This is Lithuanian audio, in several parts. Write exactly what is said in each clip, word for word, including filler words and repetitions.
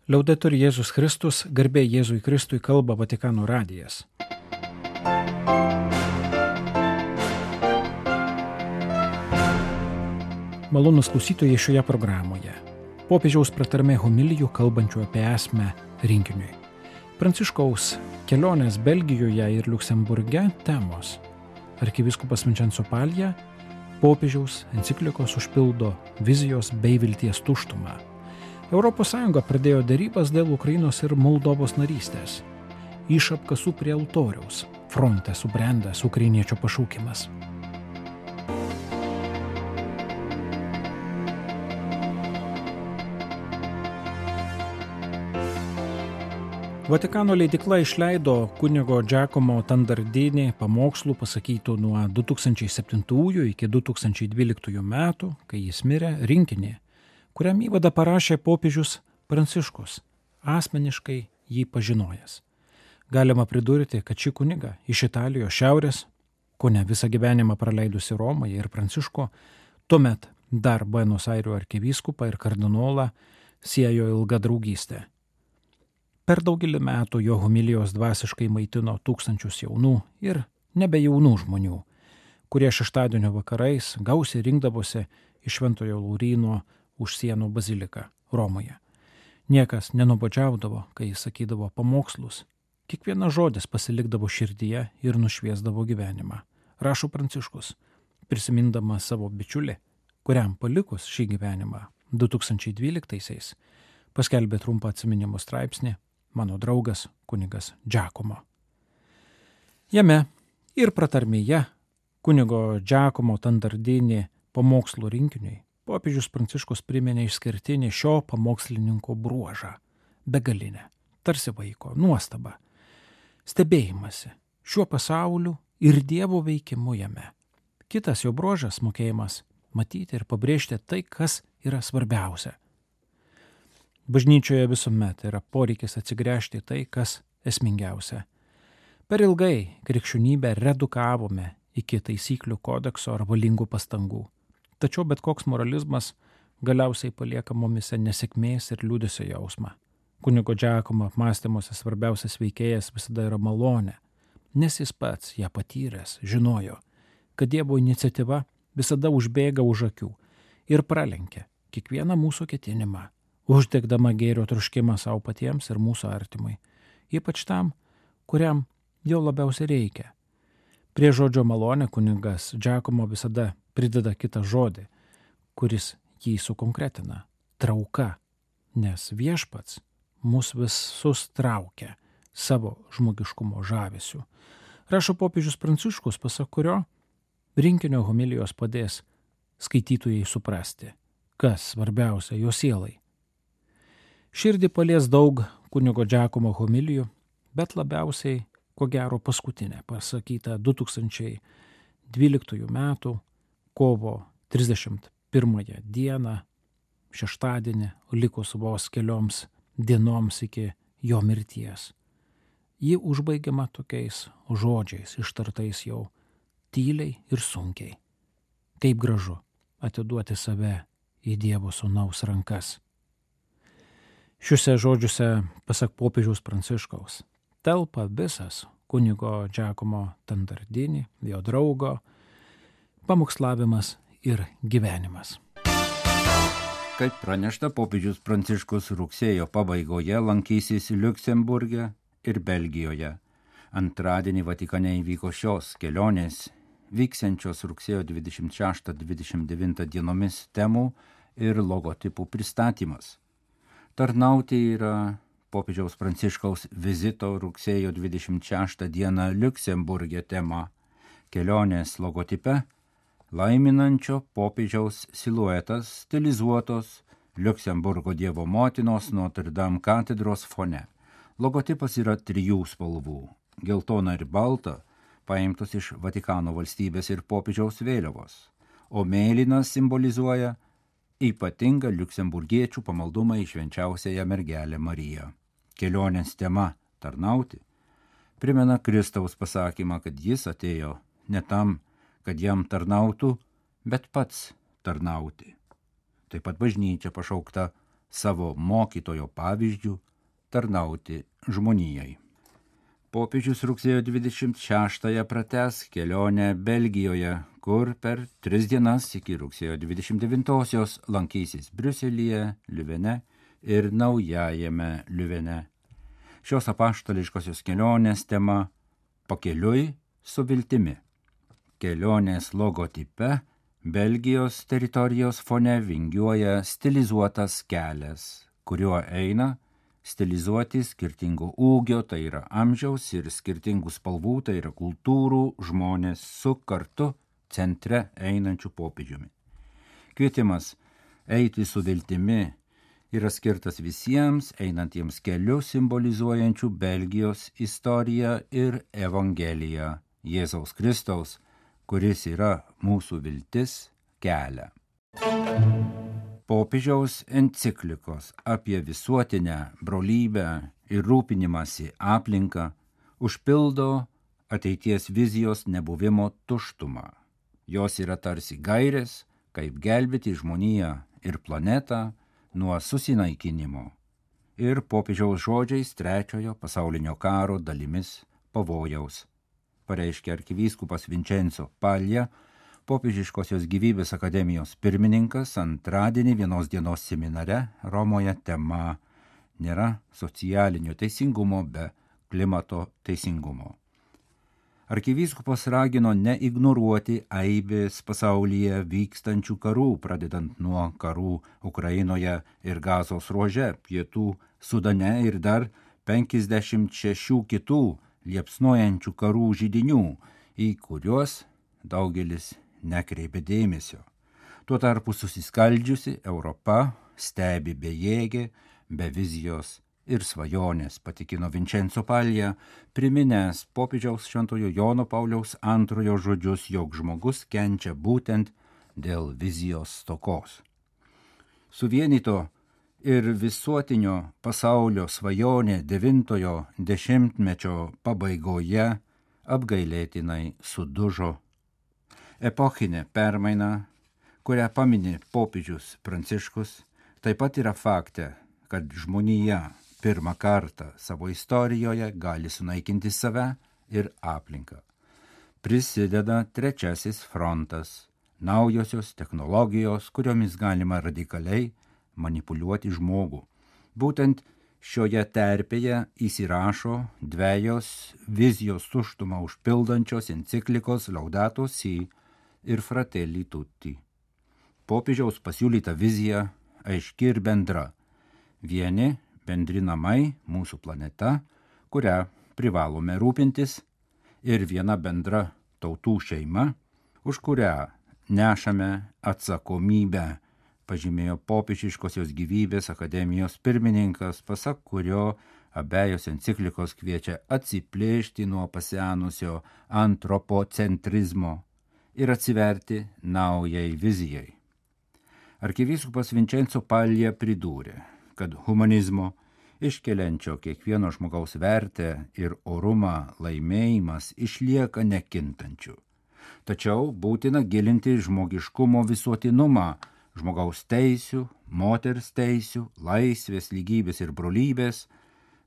Liaudetur Jėzus Kristus, garbė Jėzui Kristui, kalba Vatikano radijas. Malonūs klausytojai šioje programoje. Popiežiaus pratarmė homilijų kalbančių apie esmę rinkiniui. Pranciškaus kelionės Belgijoje ir Liuksemburge temos. Arkivyskupas Vincenzo Paglia popiežiaus enciklikos užpildo vizijos bei vilties tuštumą. Europos Sąjunga pradėjo derybas dėl Ukrainos ir Moldovos narystės. Iš apkasų prie altoriaus fronte subrendęs ukrainiečio pašaukimas. Vatikano leidykla išleido kunigo Giacomo Tandardini pamokslų pasakytų nuo du tūkstančiai septintųjų iki du tūkstančiai dvyliktųjų metų, kai jis mirė, rinkinį, kuriam įvadą parašė popiežius Pranciškus, asmeniškai jį pažinojęs. Galima pridurti, kad šį kunigą iš Italijos šiaurės, kone visą gyvenimą praleidusi Romoje ir Pranciško, tuomet dar Buenos Airių arkivyskupą ir kardinolą siejo ilga draugystė. Per daugelį metų jo homilijos dvasiškai maitino tūkstančius jaunų ir nebe jaunų žmonių, kurie šeštadienio vakarais gausiai rinkdavosi iš Šventojo Lauryno už sienų baziliką Romoje. Niekas nenuobodžiaudavo, kai jis sakydavo pamokslus. Kiekvienas žodis pasilikdavo širdyje ir nušviesdavo gyvenimą. Rašo Pranciškus, prisimindamas savo bičiulį, kuriam palikus šį gyvenimą du tūkstančiai dvyliktaisiais paskelbė trumpą atsiminimų straipsnį Mano draugas kunigas Giacomo. Jame ir pratarmėje kunigo Giacomo Tandardini pamokslų rinkiniui popiežius Pranciškus priminė išskirtinį šio pamokslininko bruožą – begalinę, tarsi vaiko, nuostabą, stebėjimąsi šiuo pasauliu ir Dievo veikimu jame. Kitas jo bruožas – mokėjimas matyti ir pabrėžti tai, kas yra svarbiausia. Bažnyčioje visuomet yra poreikis atsigręžti tai, kas esmingiausia. Per ilgai krikščionybę redukavome iki taisyklių kodekso ar valingų pastangų. Tačiau bet koks moralizmas galiausiai palieka mumise nesėkmės ir liūdesio jausmą. Kunigo Giacomo apmąstymuose svarbiausias veikėjas visada yra malonė, nes jis pats ją patyręs žinojo, kad Dievo iniciatyva visada užbėga už akių ir pralenkia kiekvieną mūsų ketinimą, uždegdama gėrio troškimą savo patiems ir mūsų artimui, ypač tam, kuriam jo labiausiai reikia. Prie žodžio malonė kunigas Giacomo visada prideda kitą žodį, kuris jį sukonkretina – trauka, nes viešpats mus visus traukia savo žmogiškumo žavesiu. Rašo popiežius Pranciškus, pasak kurio rinkinio homilijos padės skaitytojai suprasti, kas svarbiausia jo sielai. Širdį palies daug kunigo Giacomo homilijų, bet labiausiai, ko gero, paskutinė, pasakyta du tūkstančiai dvyliktųjų metų kovo trisdešimt pirmąją dieną, šeštadienį, likus vos kelioms dienoms iki jo mirties. Ji užbaigiama tokiais žodžiais, ištartais jau tyliai ir sunkiai. Kaip gražu atiduoti save į Dievo sūnaus rankas. Šiuose žodžiuose, pasak popiežiaus Pranciškaus, telpa visas kunigo Giacomo Tandardini, jo draugo, pamokslavimas ir gyvenimas. Kaip pranešta, popiežius Pranciškus rugsėjo pabaigoje lankysis Liuksemburge ir Belgijoje. Antradienį Vatikane įvyko šios kelionės, vyksiančios rugsėjo dvidešimt šeštą dvidešimt devintą dienomis temų ir logotipų pristatymas. Tarnauti yra popiežiaus Pranciškaus vizito rugsėjo dvidešimt šeštą dieną Liuksemburge tema. Kelionės logotipe laiminančio popiežiaus siluetas stilizuotos Liuksemburgo Dievo motinos Notre Dame katedros fone. Logotipas yra trijų spalvų – geltona ir balta, paimtos iš Vatikano valstybės ir popiežiaus vėliavos, o mėlynas simbolizuoja ypatingą liuksemburgiečių pamaldumą į švenčiausiąją mergelę Mariją. Kelionės tema – tarnauti – primena Kristaus pasakymą, kad jis atėjo ne tam, kad jam tarnautų, bet pats tarnauti. Taip pat bažnyčia pašaukta savo mokytojo pavyzdžių tarnauti žmonijai. Popiežius rugsėjo dvidešimt šeštąją pratęs kelionę Belgijoje, kur per tris dienas iki rugsėjo dvidešimt devintosios lankysis Briuselyje, Liuvene ir Naujajame Liuvene. Šios apaštališkosios kelionės tema – pakeliui su viltimi. Kelionės logotipe Belgijos teritorijos fone vingiuoja stilizuotas kelias, kuriuo eina stilizuoti skirtingo ūgio, tai yra amžiaus, ir skirtingų spalvų, tai yra kultūrų žmonės su kartu centre einančių popiežiumi. Kvietimas eiti su viltimi yra skirtas visiems einantiems keliu simbolizuojančių Belgijos istoriją ir Evangeliją Jėzaus Kristaus, kuris yra mūsų viltis, kelią. Popiežiaus enciklikos apie visuotinę brolybę ir rūpinimąsi aplinką užpildo ateities vizijos nebuvimo tuštumą. Jos yra tarsi gairės, kaip gelbėti žmoniją ir planetą nuo susinaikinimo ir popiežiaus žodžiais trečiojo pasaulinio karo dalimis pavojaus, pareiškė arkivyskupas Vincenzo Paglia, Popiežiškosios gyvybės akademijos pirmininkas, antradienį vienos dienos seminare Romoje tema nėra socialinio teisingumo be klimato teisingumo. Arkivyskupas ragino neignoruoti aibės pasaulyje vykstančių karų, pradedant nuo karų Ukrainoje ir Gazos ruože, Pietų Sudane ir dar penkiasdešimt šešių kitų liepsnojančių karų židinių, į kuriuos daugelis nekreipia dėmesio. Tuo tarpu susiskaldžiusi Europa stebi bejėgė, be vizijos ir svajonės, patikino Vincenzo Paglia, priminęs popiežiaus šventojo Jono Pauliaus antrojo žodžius, jog žmogus kenčia būtent dėl vizijos stokos. Suvienito ir visuotinio pasaulio svajonė devintojo dešimtmečio pabaigoje apgailėtinai sudužo. Epochinė permaina, kurią pamini popiežius Pranciškus, taip pat yra fakte, kad žmonija pirmą kartą savo istorijoje gali sunaikinti save ir aplinką. Prisideda trečiasis frontas, naujosios technologijos, kuriomis galima radikaliai manipuliuoti žmogų. Būtent šioje terpėje įsirašo dvejos vizijos tuštumą užpildančios enciklikos Laudato Si ir Fratelli Tutti. Popiežiaus pasiūlyta vizija aiški ir bendra. Vieni bendri namai, mūsų planeta, kurią privalome rūpintis, ir viena bendra tautų šeima, už kurią nešame atsakomybę, pažymėjo Popiežiškosios gyvybės akademijos pirmininkas, pasak kurio abejos enciklikos kviečia atsiplėšti nuo pasenusio antropocentrizmo ir atsiverti naujai vizijai. Arkivyskupas Vincenzo Paglia pridūrė, kad humanizmo, iškeliančio kiekvieno žmogaus vertę ir orumą laimėjimas išlieka nekintančiu. Tačiau būtina gilinti žmogiškumo visuotinumą, žmogaus teisių, moters teisių, laisvės, lygybės ir brolybės,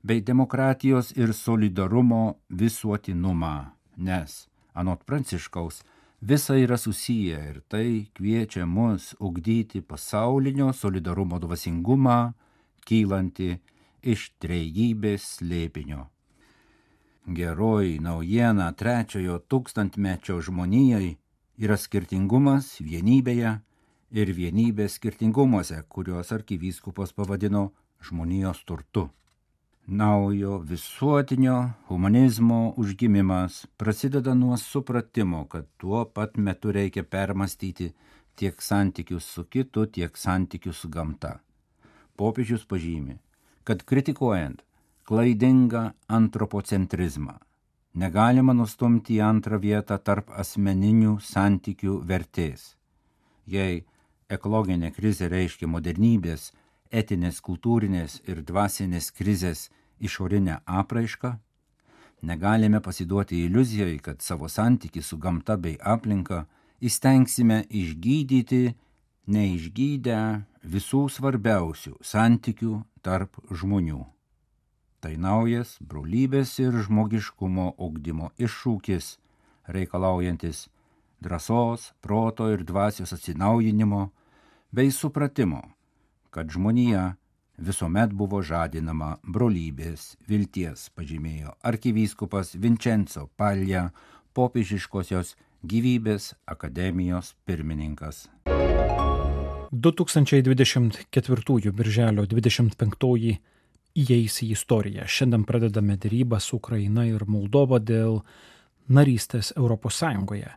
bei demokratijos ir solidarumo visuotinumą, nes, anot Pranciškaus, visa yra susiję ir tai kviečia mus ugdyti pasaulinio solidarumo dvasingumą, kylanti iš trejybės slėpinio. Geroji naujiena trečiojo tūkstantmečio žmonijai yra skirtingumas vienybėje ir vienybė skirtingumuose, kuriuos arkivyskupas pavadino žmonijos turtu. Naujo visuotinio humanizmo užgimimas prasideda nuo supratimo, kad tuo pat metu reikia permastyti tiek santykius su kitu, tiek santykius su gamta. Popiežius pažymi, kad kritikuojant klaidingą antropocentrizmą negalima nustumti į antrą vietą tarp asmeninių santykių vertės. Jei ekologinė krizė reiškia modernybės, etinės, kultūrinės ir dvasinės krizės išorinę apraišką, negalime pasiduoti iliuzijai, kad savo santykį su gamta bei aplinka įstengsime išgydyti neišgydę visų svarbiausių santykių tarp žmonių. Tai naujas brolybės ir žmogiškumo ugdymo iššūkis, reikalaujantis drąsos, proto ir dvasios atsinaujinimo bei supratimo, kad žmonija visuomet buvo žadinama brolybės, vilties, pažymėjo arkivyskupas Vincenzo Paglia, popiežiškosios gyvybės akademijos pirmininkas. du tūkstančiai dvidešimt ketvirtųjų birželio dvidešimt penktoji įeis į istoriją. Šiandien pradedame derybą su Ukraina ir Moldova dėl narystės Europos Sąjungoje,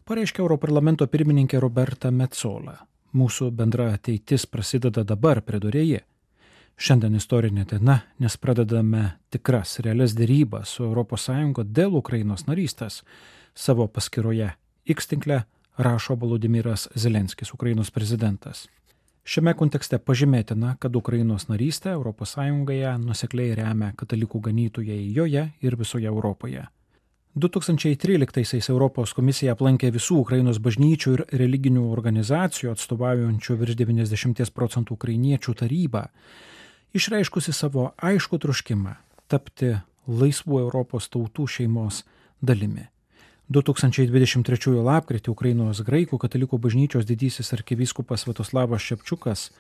pareiškė Europarlamento pirmininkė Roberta Metsola. Mūsų bendra ateitis prasideda dabar, pridūrė ji. Šiandien istorinė diena, nes pradedame tikras realias derybas su Europos Sąjunga dėl Ukrainos narystės. Savo paskyroje X tinkle rašo Volodymyras Zelenskis, Ukrainos prezidentas. Šiame kontekste pažymėtina, kad Ukrainos narystę Europos Sąjungoje nuosekliai remia katalikų ganytojai joje ir visoje Europoje. du tūkstančiai tryliktaisiais Europos komisija aplankė visų Ukrainos bažnyčių ir religinių organizacijų atstovaujančių virš devyniasdešimt procentų ukrainiečių tarybą, išreiškusi savo aiškų troškimą tapti laisvų Europos tautų šeimos dalimi. du tūkstančiai dvidešimt trečiųjų lapkritį Ukrainos graikų katalikų bažnyčios didysis arkivyskupas Sviatoslavas Šepčiukas,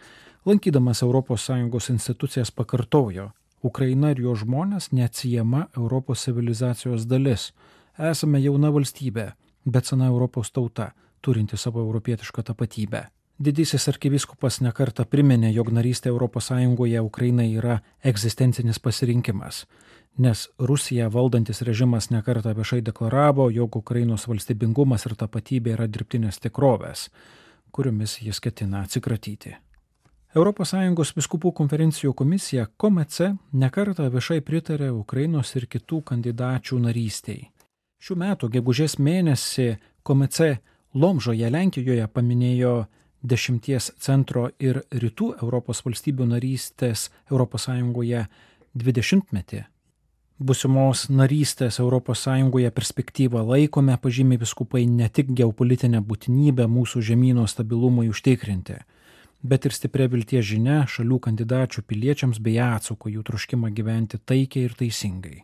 lankydamas Europos Sąjungos institucijas, pakartojo: Ukraina ir jo žmonės neatsiejama Europos civilizacijos dalis. Esame jauna valstybė, bet sena Europos tauta, turinti savo europietišką tapatybę. Didysis arkivyskupas nekartą priminė, jog narystė Europos Sąjungoje Ukrainai yra egzistencinis pasirinkimas, nes Rusija valdantis režimas nekartą viešai deklaravo, jog Ukrainos valstybingumas ir tapatybė yra dirbtinės tikrovės, kuriomis jis ketina atsikratyti. Europos Sąjungos vyskupų konferencijų komisija Komece nekartą viešai pritarė Ukrainos ir kitų kandidačių narystiai. Šių metų gegužės mėnesį Komece Lomžoje, Lenkijoje paminėjo dešimties centro ir rytų Europos valstybių narystės Europos Sąjungoje dvidešimtmetį. Būsimos narystės Europos Sąjungoje perspektyvą laikome, pažymė vyskupai, ne tik geopolitinę būtinybę mūsų žemyno stabilumui užtikrinti, bet ir stipria vilties žinia šalių kandidačių piliečiams bei atsako jų troškimą gyventi taikiai ir teisingai.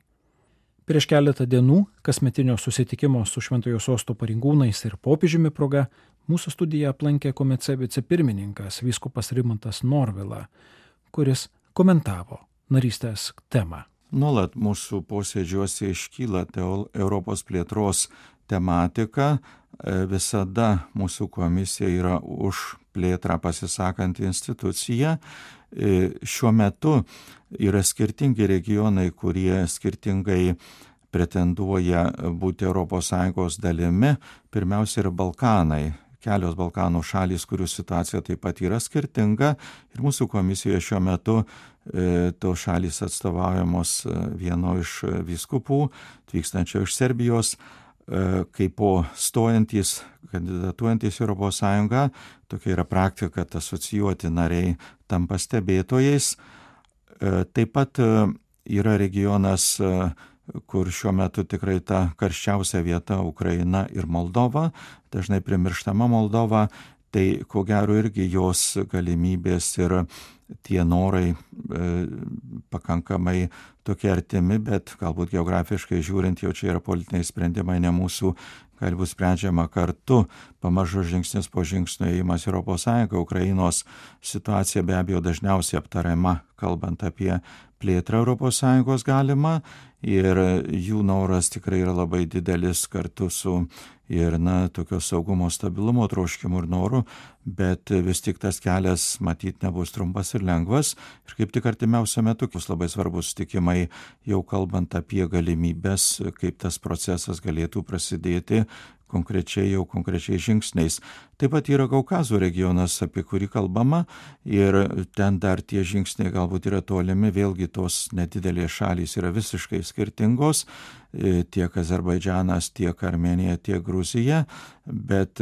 Prieš keletą dienų kasmetinio susitikimo su Šventojo Sosto pareigūnais ir popiežiumi proga mūsų studiją aplankė Komece vicepirmininkas vyskupas Rimantas Norvila, kuris komentavo narystės temą. Nuolat mūsų posėdžiuose iškyla Europos plėtros tematika. Visada mūsų komisija yra už plėtrą pasisakanti institucija. Šiuo metu yra skirtingi regionai, kurie skirtingai pretenduoja būti Europos Sąjungos dalimi. Pirmiausia yra Balkanai. Kelios Balkanų šalys, kurių situacija taip pat yra skirtinga. Ir mūsų komisijoje šiuo metu e, tos šalys atstovaujamos vieno iš vyskupų, atvykstančio iš Serbijos, e, kaip po stojantys, kandidatuojantys Europos Sąjungą. Tokia yra praktika, kad asocijuoti nariai tampa stebėtojais. E, taip pat e, yra regionas, e, kur šiuo metu tikrai ta karščiausia vieta Ukraina ir Moldova, dažnai primirštama Moldova, tai ko gero irgi jos galimybės ir tie norai e, pakankamai tokie artimi, bet galbūt geografiškai žiūrint jau čia yra politiniai sprendimai, ne mūsų, gali būti sprendžiama kartu, pamažu žingsnis po žingsnio įėjimas Europos Sąjungą. Ukrainos situacija be abejo dažniausiai aptariama, kalbant apie plėtrą Europos Sąjungos galima, ir jų noras tikrai yra labai didelis kartu su ir, na, tokio saugumo stabilumo troškimu ir noru, bet vis tik tas kelias matyt nebus trumpas ir lengvas. Ir kaip tik artimiausiu metu bus labai svarbus sutikimai, jau kalbant apie galimybės, kaip tas procesas galėtų prasidėti konkrečiai jau konkrečiai žingsniais. Taip pat yra Kaukazo regionas, apie kurį kalbama, ir ten dar tie žingsniai galbūt yra tolimi, vėlgi tos nedidelės šalys yra visiškai skirtingos, tiek Azerbaidžanas, tiek Armėnija, tiek Gruzija, bet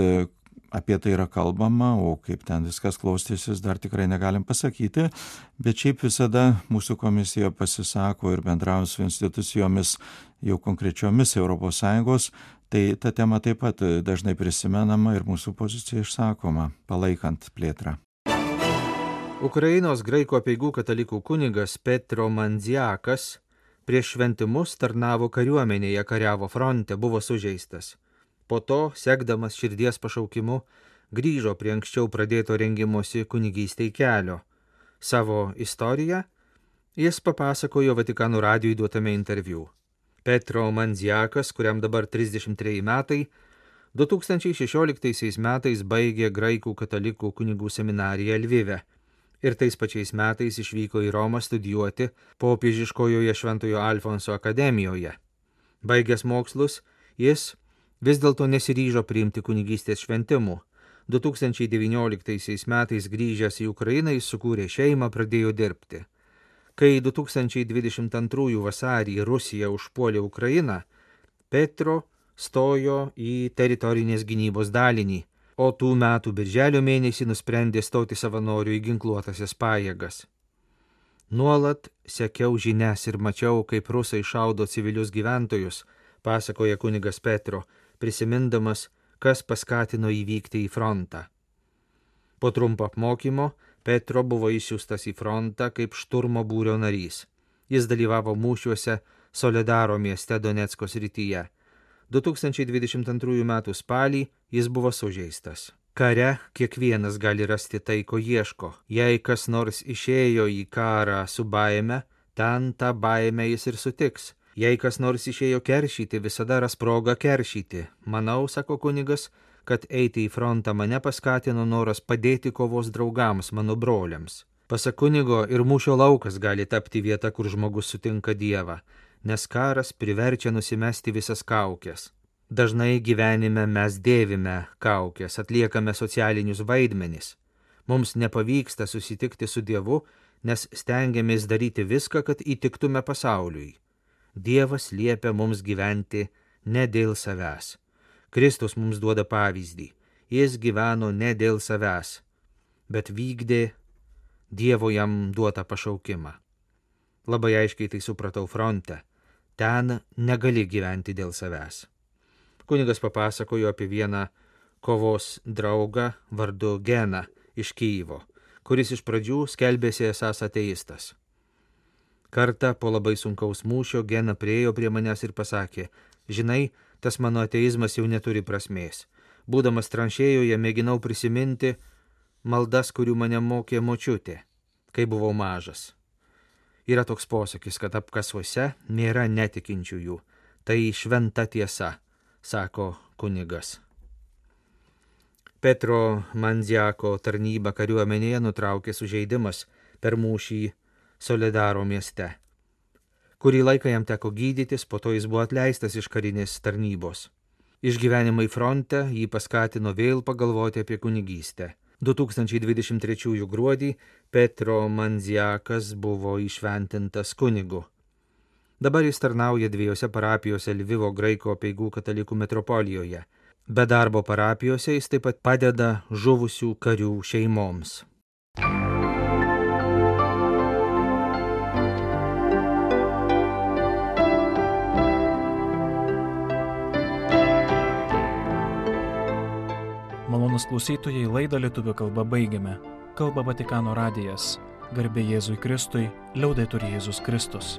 apie tai yra kalbama, o kaip ten viskas klostysis, dar tikrai negalim pasakyti, bet šiaip visada mūsų komisija pasisako ir bendrauja su institucijomis jau konkrečiomis Europos Sąjungos, tai ta tema taip pat dažnai prisimenama ir mūsų pozicija išsakoma, palaikant plėtrą. Ukrainos graikų apeigų katalikų kunigas Petro Mandziakas prieš šventimus tarnavo kariuomenėje, kariavo fronte, buvo sužeistas. Po to, sekdamas širdies pašaukimu, grįžo prie anksčiau pradėto rengimosi kunigystei kelio. Savo istoriją jis papasakojo Vatikano radijui duotame interviu. Petro Mandziakas, kuriam dabar trisdešimt treji metai, du tūkstančiai šešioliktaisiais metais baigė graikų katalikų kunigų seminariją Lvive ir tais pačiais metais išvyko į Romą studijuoti popiežiškojoje Šventojo Alfonso akademijoje. Baigęs mokslus, jis vis dėlto nesiryžo priimti kunigystės šventimų. du tūkstančiai devynioliktaisiais metais grįžęs į Ukrainą jis sukūrė šeimą, pradėjo dirbti. Kai du tūkstančiai dvidešimt antrųjų vasarį Rusija užpuolė Ukrainą, Petro stojo į teritorinės gynybos dalinį, o tų metų birželio mėnesį nusprendė stoti savanorių į ginkluotasias pajėgas. Nuolat sekiau žinias ir mačiau, kaip rusai šaudo civilius gyventojus, pasakoja kunigas Petro, prisimindamas, kas paskatino įvykti į frontą. Po trumpo apmokymo Petro buvo išsiųstas į frontą kaip šturmo būrio narys. Jis dalyvavo mūšiuose Soledaro mieste Donecko srityje. du tūkstančiai dvidešimt antrųjų metų spalį jis buvo sužeistas. Kare kiekvienas gali rasti tai, ko ieško. Jei kas nors išėjo į karą su baime, ten tą baimę jis ir sutiks. Jei kas nors išėjo keršyti, visada ras progą keršyti. Manau, sako kunigas, kad eiti į frontą mane paskatino noras padėti kovos draugams, mano broliams. Pasak kunigo, ir mūšio laukas gali tapti vieta, kur žmogus sutinka Dievą, nes karas priverčia nusimesti visas kaukės. Dažnai gyvenime mes dėvime kaukės, atliekame socialinius vaidmenis. Mums nepavyksta susitikti su Dievu, nes stengiamės daryti viską, kad įtiktume pasauliui. Dievas liepia mums gyventi ne dėl savęs. Kristus mums duoda pavyzdį. Jis gyveno ne dėl savęs, bet vykdė Dievo jam duotą pašaukimą. Labai aiškiai tai supratau fronte. Ten negali gyventi dėl savęs. Kunigas papasakojo apie vieną kovos draugą vardu Geną iš Kyjivo, kuris iš pradžių skelbėsi esąs ateistas. Kartą po labai sunkaus mūšio Gena priėjo prie manęs ir pasakė, žinai, tas mano ateizmas jau neturi prasmės. Būdamas tranšėjoje mėginau prisiminti maldas, kurių mane mokė močiutė, kai buvau mažas. Yra toks posakis, kad apkasuose nėra netikinčiųjų. Tai šventa tiesa, sako kunigas. Petro Mandziako tarnybą kariuomenėje nutraukė sužeidimas per mūšį Soledaro mieste. Kurį laiką jam teko gydytis, po to jis buvo atleistas iš karinės tarnybos. Išgyvenimai fronte jį paskatino vėl pagalvoti apie kunigystę. du tūkstančiai dvidešimt trečiųjų gruodį Petro Mandziakas buvo įšventintas kunigu. Dabar jis tarnauja dviejose parapijose Lvivo graikų apeigų katalikų metropolijoje. Be darbo parapijose jis taip pat padeda žuvusių karių šeimoms. Malonus klausytojai, laidą lietuvių kalba baigiame. Kalba Vatikano radijas. Garbė Jėzui Kristui, liaudetur Jėzus Kristus.